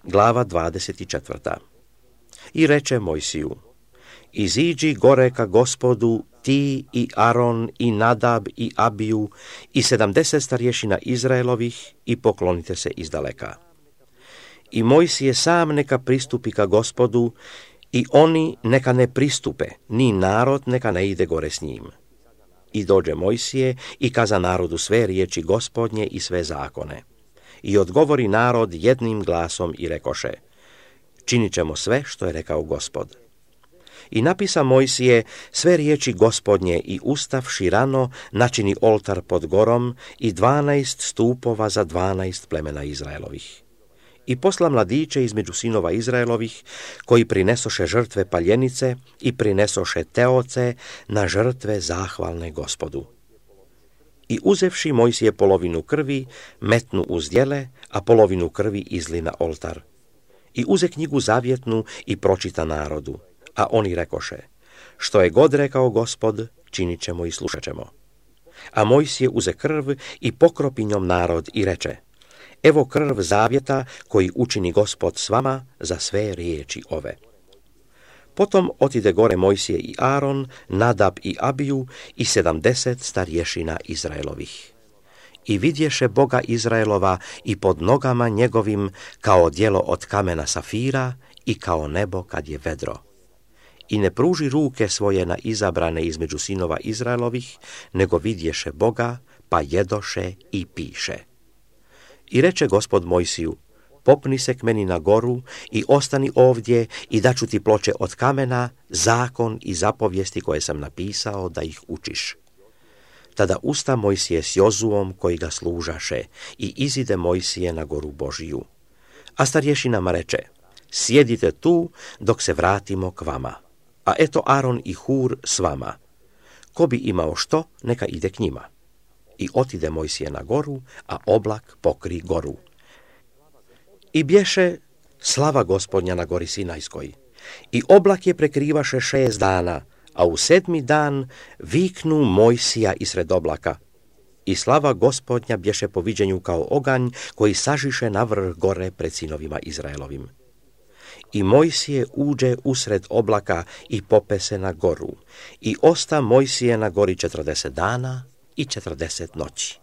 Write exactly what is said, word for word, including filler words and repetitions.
Glava dvadeset četvrta. I reče Mojsiju: Iziđi gore ka Gospodu, ti i Aron i Nadab i Abiju i sedamdeset starješina Izraelovih i poklonite se izdaleka. I Mojsije sam neka pristupi ka Gospodu i oni neka ne pristupe, ni narod neka ne ide gore s njim. I dođe Mojsije i kaza narodu sve riječi Gospodnje i sve zakone. I odgovori narod jednim glasom i rekoše: Činit ćemo sve što je rekao Gospod. I napisa Mojsije sve riječi Gospodnje i ustavši rano načini oltar pod gorom i dvanaest stupova za dvanaest plemena Izraelovih. I posla mladiće između sinova Izraelovih, koji prinesoše žrtve paljenice i prinesoše teoce na žrtve zahvalne Gospodu. I uzevši Mojsije polovinu krvi, metnu u zdjele, a polovinu krvi izli na oltar. I uze knjigu zavjetnu i pročita narodu, a oni rekoše: Što je god rekao Gospod, činit ćemo i slušat ćemo. A Mojsije uze krv i pokropi njom narod i reče: Evo krv zavjeta koji učini Gospod s vama za sve riječi ove. Potom otide gore Mojsije i Aron, Nadab i Abiju i sedamdeset starješina Izraelovih. I vidješe Boga Izraelova i pod nogama njegovim kao djelo od kamena safira i kao nebo kad je vedro. I ne pruži ruke svoje na izabrane između sinova Izraelovih, nego vidješe Boga, pa jedoše i piše. I reče Gospod Mojsiju: Popni se k meni na goru i ostani ovdje i daću ti ploče od kamena, zakon i zapovijesti koje sam napisao da ih učiš. Tada usta Mojsije s Jozuom koji ga služaše i izide Mojsije na goru Božiju. A starješinama reče: Sjedite tu dok se vratimo k vama. A eto Aron i Hur s vama. Ko bi imao što, neka ide k njima. I otide Mojsije na goru, a oblak pokri goru. I bješe slava Gospodnja na gori Sinajskoj. I oblak je prekrivaše šest dana, a u sedmi dan viknu Mojsija isred oblaka. I slava Gospodnja bješe po viđenju kao oganj koji sažiše na vrh gore pred sinovima Izraelovim. I Mojsije uđe usred oblaka i pope se na goru. I osta Mojsije na gori četrdeset dana i četrdeset noći.